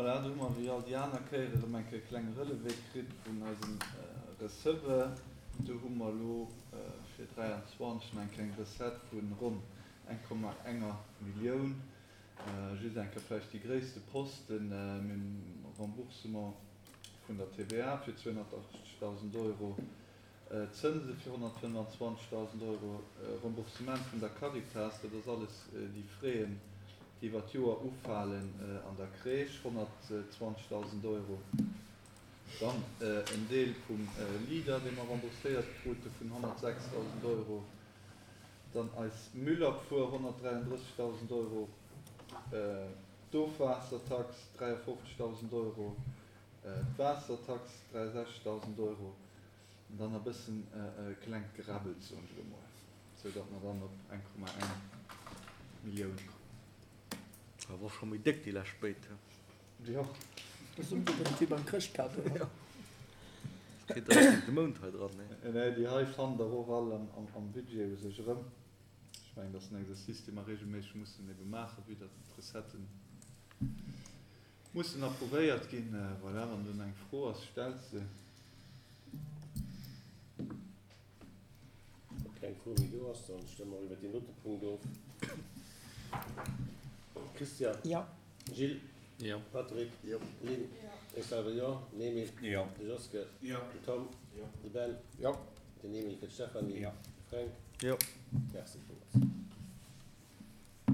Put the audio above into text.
Voilà, do hu mer wéi all déi aner Kéier erëm eng Kéier e klenge Relevé kritt vun eisem Receveur. Do hu mer elo fir 23 nach eng kleng Recette vu ronn 1,1 Millioun. Just eng Kéier vläicht déi gréisste Posten, Mir hunn Remboursement vun der TVA fir 280.000 Euro, Zënse fir 125.000 Euro, Remboursement vun der Caritas, dat ass alles déi Fräen, déi iwwer d'Joer ufalen an der Crèche, 120.000 Euro. Dann en Deel vum Leader, dee mer rembourséiert krute vun 106.000 Euro. Dann eis Müllabfuhr, 133.000 Euro, d'Ofwaassertax, 53.000 Euro, d'Waassertax, 63.000 Euro, an dann e bëssen klengt Geräbbels, soen ech elo mol, sou datt mer dann op 1,1 Millioun kommen. Dat wor scho méi déck déi lescht béid. Jo. Ass ëmgedréint wéi beim Chrëschtkado. Jo. Kritt der net de Mount hei dran, nee. Nee, déi hei fannt der och all am Budget u sech erëm. Ech mengen, dat ass en Exercice, dee mer regelméisseg mussen ebe maachen, vue datt d'Recetten mussen approuvéiert ginn. Voilà, wann do nach eng Fro ass, stellt se. Wa keng Fro méi do ass, dann stëmme mer iwwert deen dote Punkt of. Christian? Jo. Gilles? Jo. Patrick? Jo. Lynn? Jo. Ech selwer jo. Den Emil? Jo. De Joske? Jo. Den Tom? Jo. De Ben? Jo. Den Emil fir d'Stéphanie? Jo. De Fränk? Jo. Merci villmools.